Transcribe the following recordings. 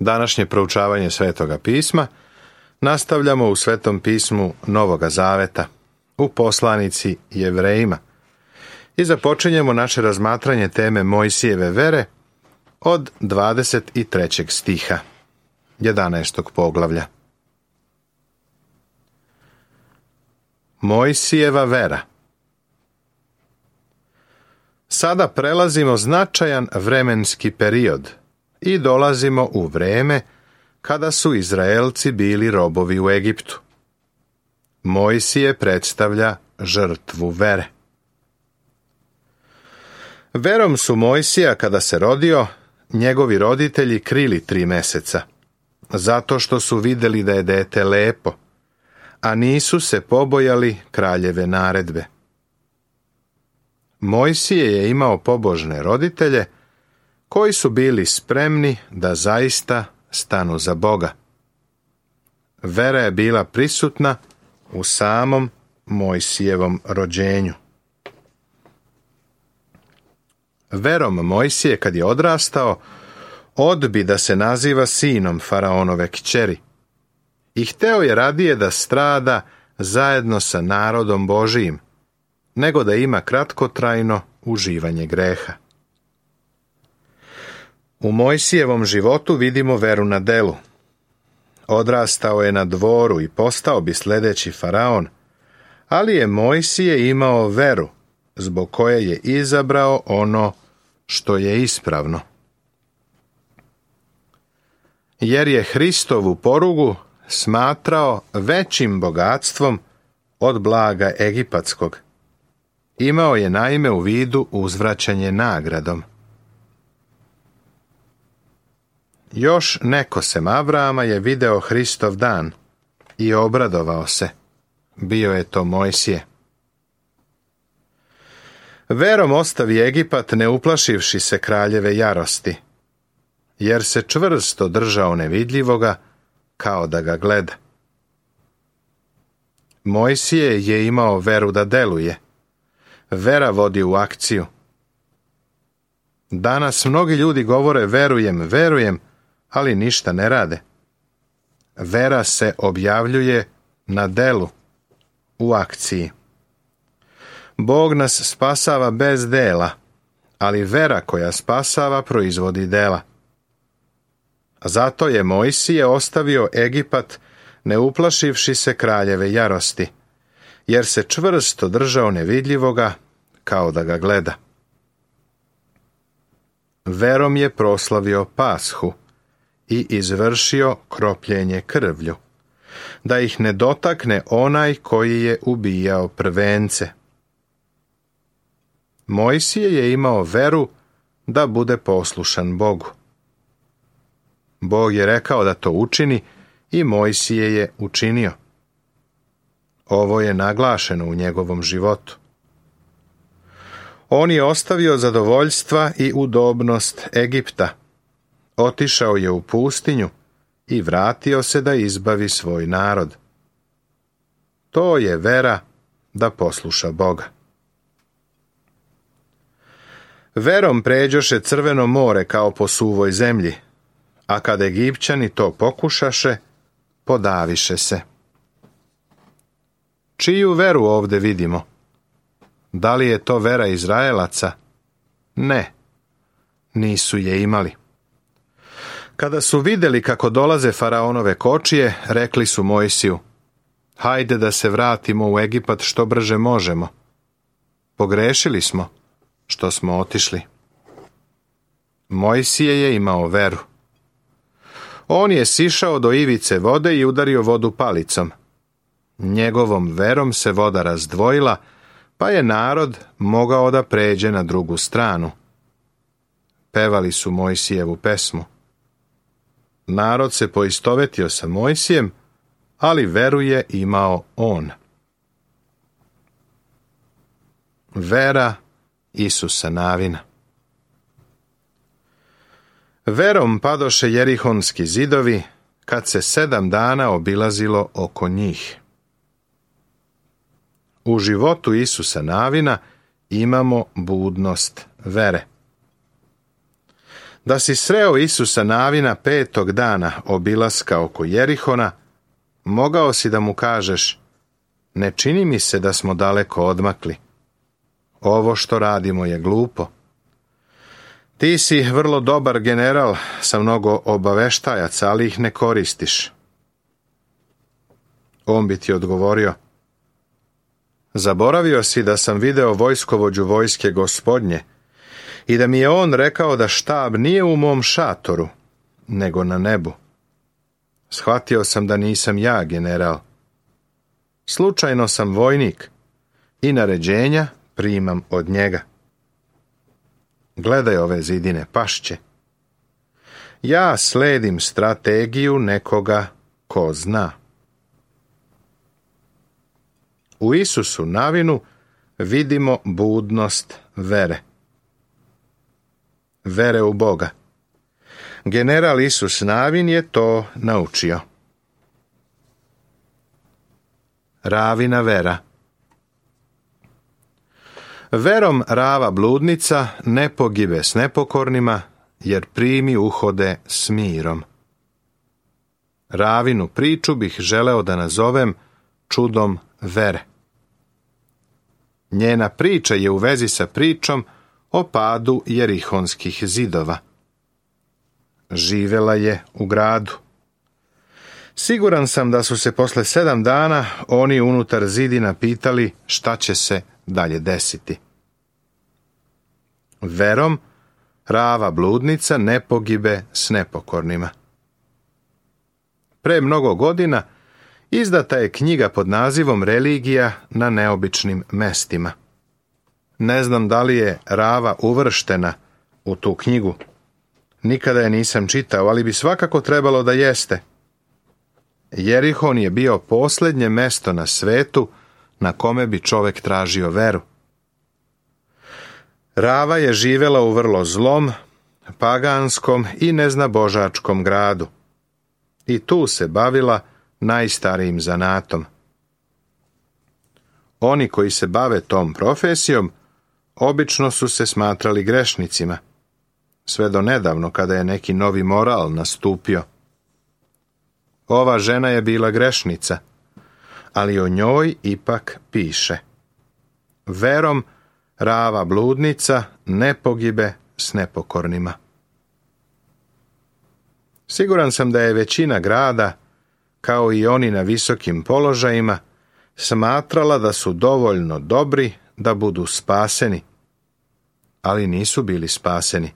Današnje proučavanje Svetoga pisma nastavljamo u Svetom pismu Novoga Zaveta, u poslanici Jevrejima, i započinjemo naše razmatranje teme Mojsijeve vere od 23. stiha 11. poglavlja. Mojsijeva vera. Sada prelazimo značajan vremenski period i dolazimo u vreme kada su Izraelci bili robovi u Egiptu. Mojsije predstavlja žrtvu vere. Verom su Mojsija, kada se rodio, njegovi roditelji krili 3 meseca, zato što su vidjeli da je dete lepo, a nisu se pobojali kraljeve naredbe. Mojsije je imao pobožne roditelje koji su bili spremni da zaista stanu za Boga. Vera je bila prisutna u samom Mojsijevom rođenju. Verom Mojsije, kad je odrastao, odbi da se naziva sinom faraonove kćeri i hteo je radije da strada zajedno sa narodom Božijim, nego da ima kratkotrajno uživanje greha. U Mojsijevom životu vidimo veru na delu. Odrastao je na dvoru i postao bi sljedeći faraon, ali je Mojsije imao veru, zbog koje je izabrao ono što je ispravno. Jer je Hristovu porugu smatrao većim bogatstvom od blaga egipatskog. Imao je naime u vidu uzvraćanje nagradom. Još neko sem Avrama je video Hristov dan i obradovao se. Bio je to Mojsije. Verom ostavi Egipat, ne uplašivši se kraljeve jarosti, jer se čvrsto držao nevidljivoga kao da ga gleda. Mojsije je imao veru da deluje. Vera vodi u akciju. Danas mnogi ljudi govore verujem, ali ništa ne rade. Vera se objavljuje na delu, u akciji. Bog nas spasava bez dela, ali vera koja spasava proizvodi dela. Zato je Mojsije ostavio Egipat, ne uplašivši se kraljeve jarosti, jer se čvrsto držao nevidljivoga kao da ga gleda. Verom je proslavio Pashu i izvršio kropljenje krvlju, da ih ne dotakne onaj koji je ubijao prvence. Mojsije je imao veru da bude poslušan Bogu. Bog je rekao da to učini i Mojsije je učinio. Ovo je naglašeno u njegovom životu. On je ostavio zadovoljstva i udobnost Egipta. Otišao je u pustinju i vratio se da izbavi svoj narod. To je vera da posluša Boga. Verom pređoše Crveno more kao po suvoj zemlji, a kad Egipćani to pokušaše, podaviše se. Čiju veru ovdje vidimo? Da li je to vera Izraelaca? Ne, nisu je imali. Kada su vidjeli kako dolaze faraonove kočije, rekli su Mojsiju: hajde da se vratimo u Egipat što brže možemo. Pogrešili smo što smo otišli. Mojsije je imao veru. On je sišao do ivice vode i udario vodu palicom. Njegovom verom se voda razdvojila, pa je narod mogao da pređe na drugu stranu. Pevali su Mojsijevu pesmu. Narod se poistovetio sa Mojsijem, ali veru je imao on. Vera Isusa Navina. Verom padoše jerihonski zidovi, kad se 7 dana obilazilo oko njih. U životu Isusa Navina imamo budnost vere. Da si sreo Isusa Navina 5. dana obilaska oko Jerihona, mogao si da mu kažeš: ne čini mi se da smo daleko odmakli. Ovo što radimo je glupo. Ti si vrlo dobar general sa mnogo obaveštajaca, ali ih ne koristiš. On bi ti odgovorio: zaboravio si da sam video vojskovođu vojske Gospodnje i da mi je on rekao da štab nije u mom šatoru, nego na nebu. Shvatio sam da nisam ja general. Slučajno sam vojnik i naređenja primam od njega. Gledaj ove zidine, pašće. Ja sledim strategiju nekoga ko zna. U Isusu Navinu vidimo budnost vere. Vere u Boga. General Isus Navin je to naučio. Ravina vera. Verom Rava bludnica ne pogibe s nepokornima, jer primi uhode s mirom. Ravinu priču bih želeo da nazovem čudom vere. Njena priča je u vezi sa pričom o padu jerihonskih zidova. Živela je u gradu. Siguran sam da su se posle 7 dana oni unutar zidina pitali šta će se dalje desiti. Verom Rava bludnica ne pogibe s nepokornima. Pre mnogo godina izdata je knjiga pod nazivom Religija na neobičnim mestima. Ne znam da li je Rava uvrštena u tu knjigu. Nikada je nisam čitao, ali bi svakako trebalo da jeste. Jerihon je bio posljednje mesto na svetu na kome bi čovek tražio veru. Rava je živela u vrlo zlom, paganskom i neznabožačkom gradu. I tu se bavila najstarijim zanatom. Oni koji se bave tom profesijom obično su se smatrali grešnicima, sve do nedavno kada je neki novi moral nastupio. Ova žena je bila grešnica, ali o njoj ipak piše: verom Rava bludnica ne pogibe s nepokornima. Siguran sam da je većina grada, kao i oni na visokim položajima, smatrala da su dovoljno dobri da budu spaseni, ali nisu bili spaseni.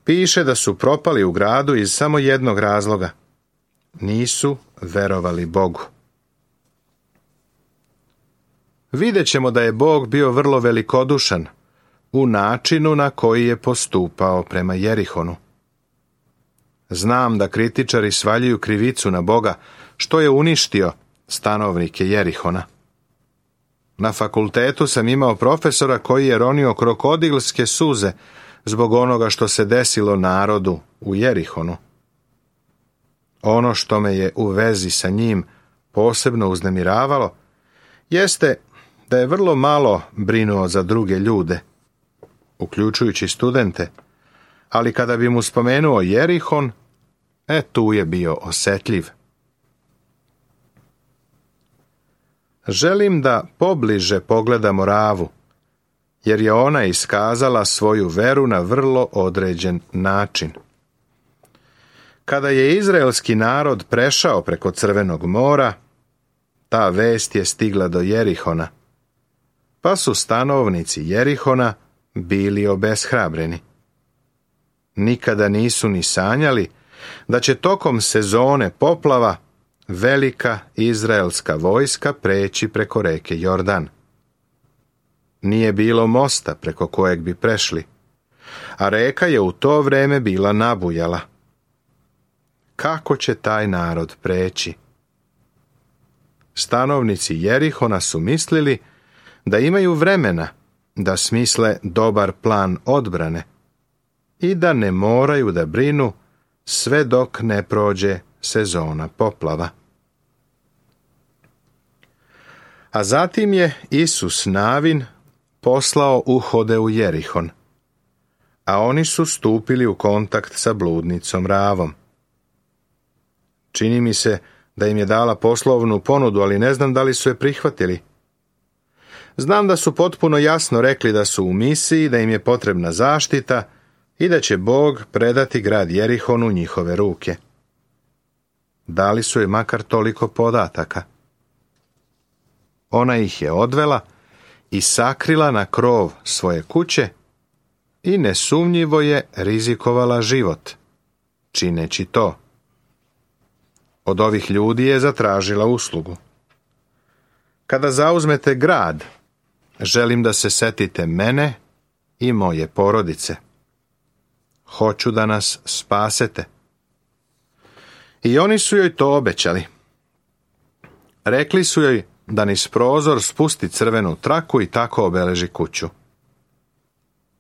Piše da su propali u gradu iz samo jednog razloga: nisu verovali Bogu. Vidjet ćemo da je Bog bio vrlo velikodušan u načinu na koji je postupao prema Jerihonu. Znam da kritičari svaljuju krivicu na Boga što je uništio stanovnike Jerihona. Na fakultetu sam imao profesora koji je ronio krokodilske suze zbog onoga što se desilo narodu u Jerihonu. Ono što me je u vezi sa njim posebno uznemiravalo jeste da je vrlo malo brinuo za druge ljude, uključujući studente, ali kada bi mu spomenuo Jerihon, tu je bio osetljiv. Želim da pobliže pogledamo Ravu, jer je ona iskazala svoju veru na vrlo određen način. Kada je izraelski narod prešao preko Crvenog mora, ta vest je stigla do Jerihona, pa su stanovnici Jerihona bili obeshrabreni. Nikada nisu ni sanjali da će tokom sezone poplava velika izraelska vojska preći preko reke Jordan. Nije bilo mosta preko kojeg bi prešli, a reka je u to vreme bila nabujala. Kako će taj narod preći? Stanovnici Jerihona su mislili da imaju vremena da smisle dobar plan odbrane i da ne moraju da brinu sve dok ne prođe sezona poplava. A zatim je Isus Navin poslao uhode u Jerihon, a oni su stupili u kontakt sa bludnicom Ravom. Čini mi se da im je dala poslovnu ponudu, ali ne znam da li su je prihvatili. Znam da su potpuno jasno rekli da su u misiji, da im je potrebna zaštita i da će Bog predati grad Jerihon u njihove ruke. Dali su je makar toliko podataka. Ona ih je odvela i sakrila na krov svoje kuće i nesumnjivo je rizikovala život, čineći to. Od ovih ljudi je zatražila uslugu. Kada zauzmete grad, želim da se setite mene i moje porodice. Hoću da nas spasete. I oni su joj to obećali. Rekli su joj da niz prozor spusti crvenu traku i tako obeleži kuću.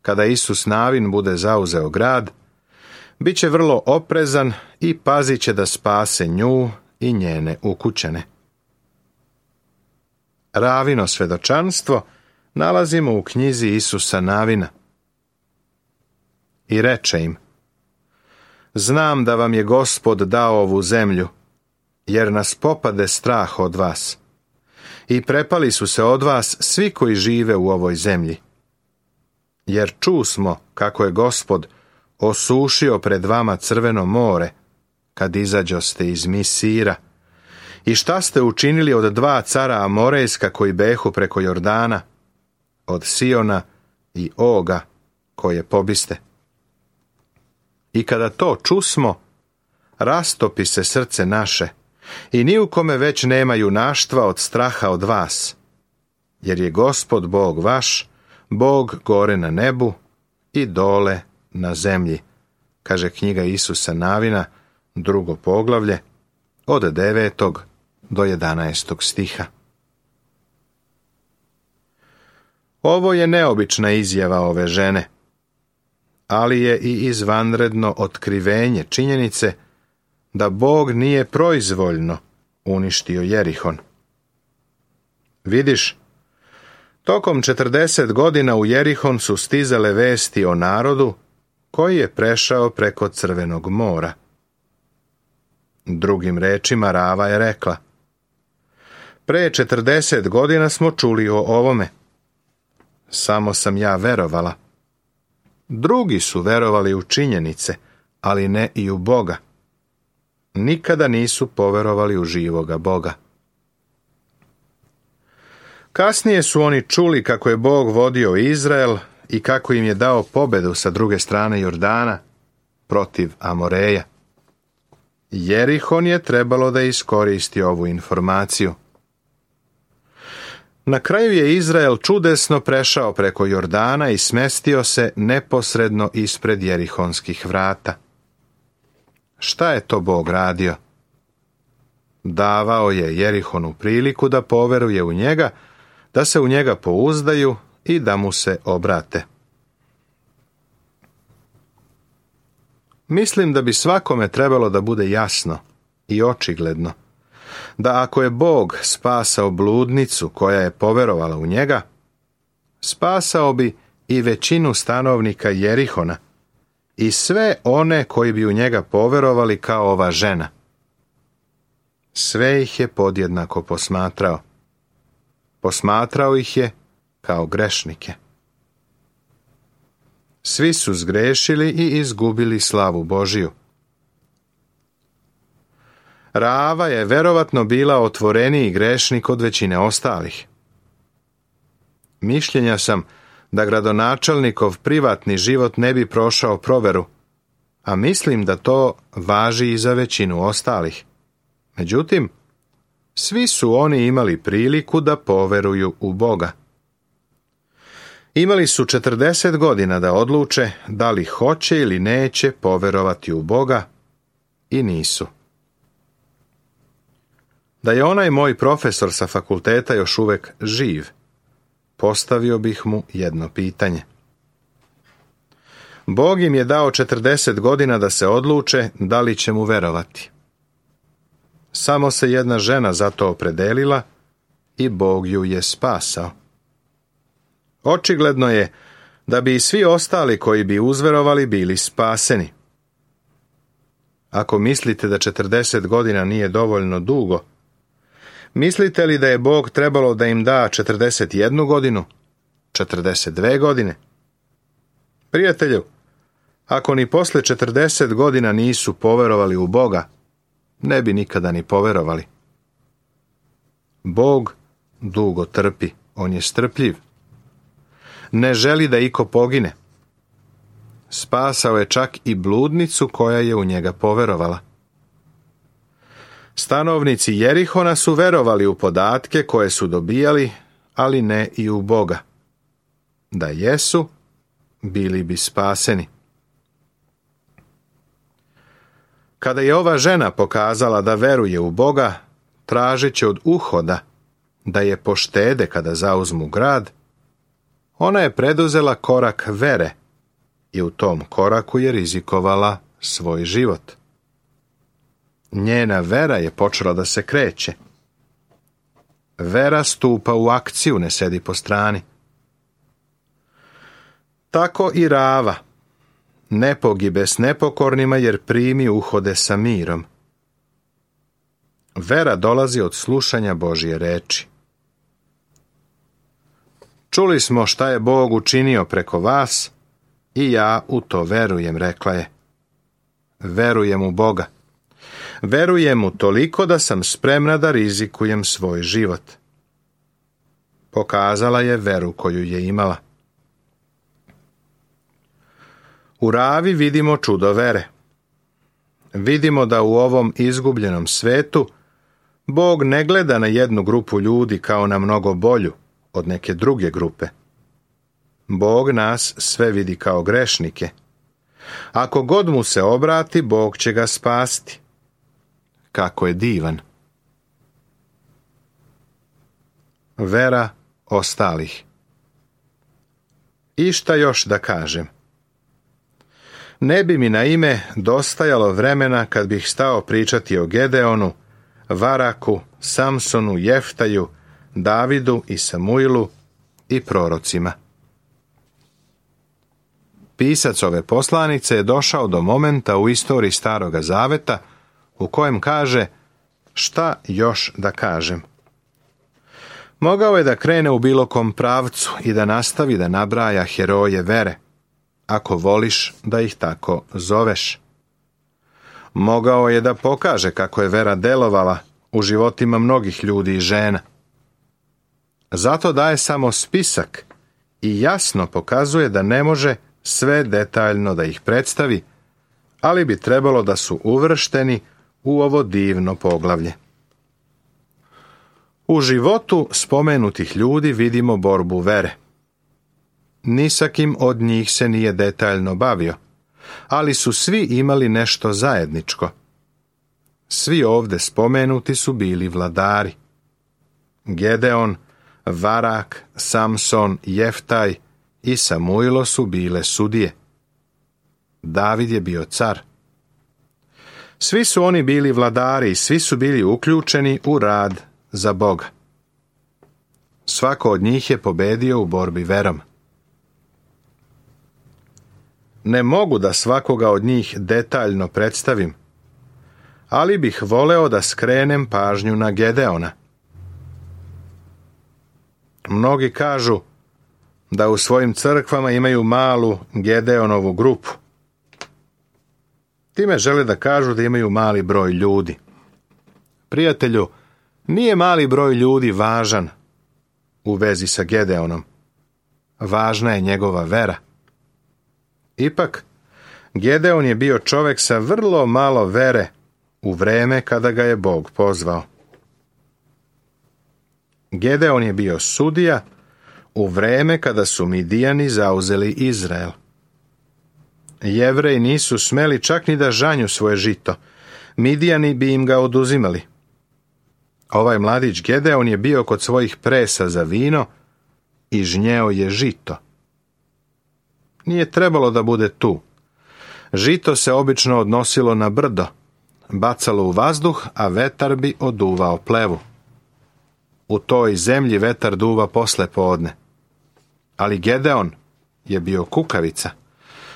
Kada Isus Navin bude zauzeo grad, bit će vrlo oprezan i pazit će da spase nju i njene ukućene. Ravino svedočanstvo nalazimo u knjizi Isusa Navina. I reče im: znam da vam je Gospod dao ovu zemlju, jer nas popade strah od vas. I prepali su se od vas svi koji žive u ovoj zemlji. Jer čusmo kako je Gospod osušio pred vama Crveno more, kad izađoste iz Misira. I šta ste učinili od 2 cara Amorejska koji behu preko Jordana, od Siona i Oga, koje pobiste. I kada to čusmo, rastopi se srce naše, i ni u kome već nema junaštva od straha od vas, jer je Gospod Bog vaš, Bog gore na nebu i dole na zemlji, kaže knjiga Isusa Navina, 2. poglavlje, od 9. do 11. stiha. Ovo je neobična izjava ove žene, ali je i izvanredno otkrivenje činjenice da Bog nije proizvoljno uništio Jerihon. Vidiš, tokom 40 godina u Jerihon su stizale vesti o narodu koji je prešao preko Crvenog mora. Drugim rečima, Rava je rekla: pre 40 godina smo čuli o ovome. Samo sam ja verovala. Drugi su verovali u činjenice, ali ne i u Boga. Nikada nisu poverovali u živoga Boga. Kasnije su oni čuli kako je Bog vodio Izrael i kako im je dao pobedu sa druge strane Jordana protiv Amoreja. Jerihon je trebalo da iskoristi ovu informaciju. Na kraju je Izrael čudesno prešao preko Jordana i smestio se neposredno ispred jerihonskih vrata. Šta je to Bog radio? Davao je Jerihonu priliku da poveruje u njega, da se u njega pouzdaju i da mu se obrate. Mislim da bi svakome trebalo da bude jasno i očigledno da ako je Bog spasao bludnicu koja je poverovala u njega, spasao bi i većinu stanovnika Jerihona i sve one koji bi u njega poverovali kao ova žena. Sve ih je podjednako posmatrao. Posmatrao ih je kao grešnike. Svi su zgrešili i izgubili slavu Božiju. Rava je verovatno bila otvoreniji grešnik od većine ostalih. Mišljenja sam da gradonačelnikov privatni život ne bi prošao proveru, a mislim da to važi i za većinu ostalih. Međutim, svi su oni imali priliku da poveruju u Boga. Imali su 40 godina da odluče da li hoće ili neće poverovati u Boga i nisu. Da je onaj moj profesor sa fakulteta još uvek živ, postavio bih mu jedno pitanje. Bog im je dao 40 godina da se odluče da li će mu verovati. Samo se jedna žena za to opredelila i Bog ju je spasao. Očigledno je da bi i svi ostali koji bi uzverovali bili spaseni. Ako mislite da 40 godina nije dovoljno dugo, mislite li da je Bog trebalo da im da 41 godinu, 42 godine? Prijatelju, ako ni posle 40 godina nisu poverovali u Boga, ne bi nikada ni poverovali. Bog dugo trpi, on je strpljiv. Ne želi da iko pogine. Spasao je čak i bludnicu koja je u njega poverovala. Stanovnici Jerihona su verovali u podatke koje su dobijali, ali ne i u Boga. Da jesu, bili bi spaseni. Kada je ova žena pokazala da veruje u Boga, tražeći od Uhoda da je poštede kada zauzmu grad, ona je preduzela korak vere i u tom koraku je rizikovala svoj život. Njena vera je počela da se kreće. Vera stupa u akciju, ne sedi po strani. Tako i Rava ne pogibe s nepokornima jer primi Uhode sa mirom. Vera dolazi od slušanja Božje reči. Čuli smo šta je Bog učinio preko vas i ja u to verujem, rekla je. Verujem u Boga. Verujem mu toliko da sam spremna da rizikujem svoj život. Pokazala je veru koju je imala. U Ravi vidimo čudo vere. Vidimo da u ovom izgubljenom svetu Bog ne gleda na jednu grupu ljudi kao na mnogo bolju od neke druge grupe. Bog nas sve vidi kao grešnike. Ako god mu se obrati, Bog će ga spasti. Kako je divan. Vera ostalih. I šta još da kažem? Ne bi mi na ime dostajalo vremena kad bih stao pričati o Gedeonu, Varaku, Samsonu, Jeftaju, Davidu i Samuilu i prorocima. Pisac ove poslanice je došao do momenta u istoriji Staroga Zaveta u kojem kaže šta još da kažem. Mogao je da krene u bilo kom pravcu i da nastavi da nabraja heroje vere, ako voliš da ih tako zoveš. Mogao je da pokaže kako je vera delovala u životima mnogih ljudi i žena. Zato daje samo spisak i jasno pokazuje da ne može sve detaljno da ih predstavi, ali bi trebalo da su uvršteni u ovo divno poglavlje. U životu spomenutih ljudi vidimo borbu vere. Ni sa kim od njih se nije detaljno bavio, ali su svi imali nešto zajedničko. Svi ovde spomenuti su bili vladari. Gedeon, Varak, Samson, Jeftaj i Samuilo su bile sudije. David je bio car. Svi su oni bili vladari i svi su bili uključeni u rad za Boga. Svako od njih je pobedio u borbi verom. Ne mogu da svakoga od njih detaljno predstavim, ali bih voleo da skrenem pažnju na Gedeona. Mnogi kažu da u svojim crkvama imaju malu Gedeonovu grupu. Time žele da kažu da imaju mali broj ljudi. Prijatelju, nije mali broj ljudi važan u vezi sa Gedeonom. Važna je njegova vera. Ipak, Gedeon je bio čovjek sa vrlo malo vere u vreme kada ga je Bog pozvao. Gedeon je bio sudija u vreme kada su Midijani zauzeli Izrael. Jevreji nisu smeli čak ni da žanju svoje žito. Midijani bi im ga oduzimali. Ovaj mladić Gedeon je bio kod svojih presa za vino i žnjeo je žito. Nije trebalo da bude tu. Žito se obično odnosilo na brdo, bacalo u vazduh, a vetar bi oduvao plevu. U toj zemlji vetar duva posle podne. Ali Gedeon je bio kukavica.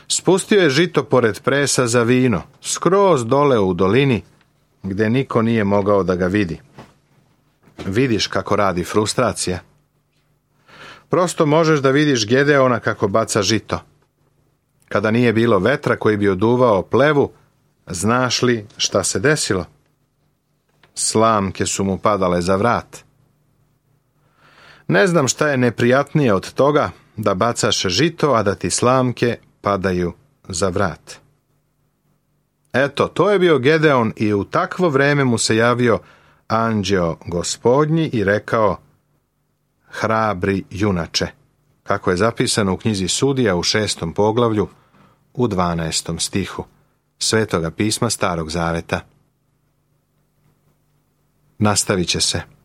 Spustio je žito pored presa za vino, skroz dole u dolini, gdje niko nije mogao da ga vidi. Vidiš kako radi frustracija. Prosto možeš da vidiš Gedeona kako baca žito. Kada nije bilo vetra koji bi oduvao plevu, znaš li šta se desilo? Slamke su mu padale za vrat. Ne znam šta je neprijatnije od toga da bacaš žito, a da ti slamke padaju za vrat. Eto, to je bio Gedeon i u takvo vreme mu se javio anđeo Gospodnji i rekao: hrabri junače, kako je zapisano u knjizi Sudija u 6. poglavlju u 12. stihu Svetoga pisma Starog Zaveta. Nastavit će se.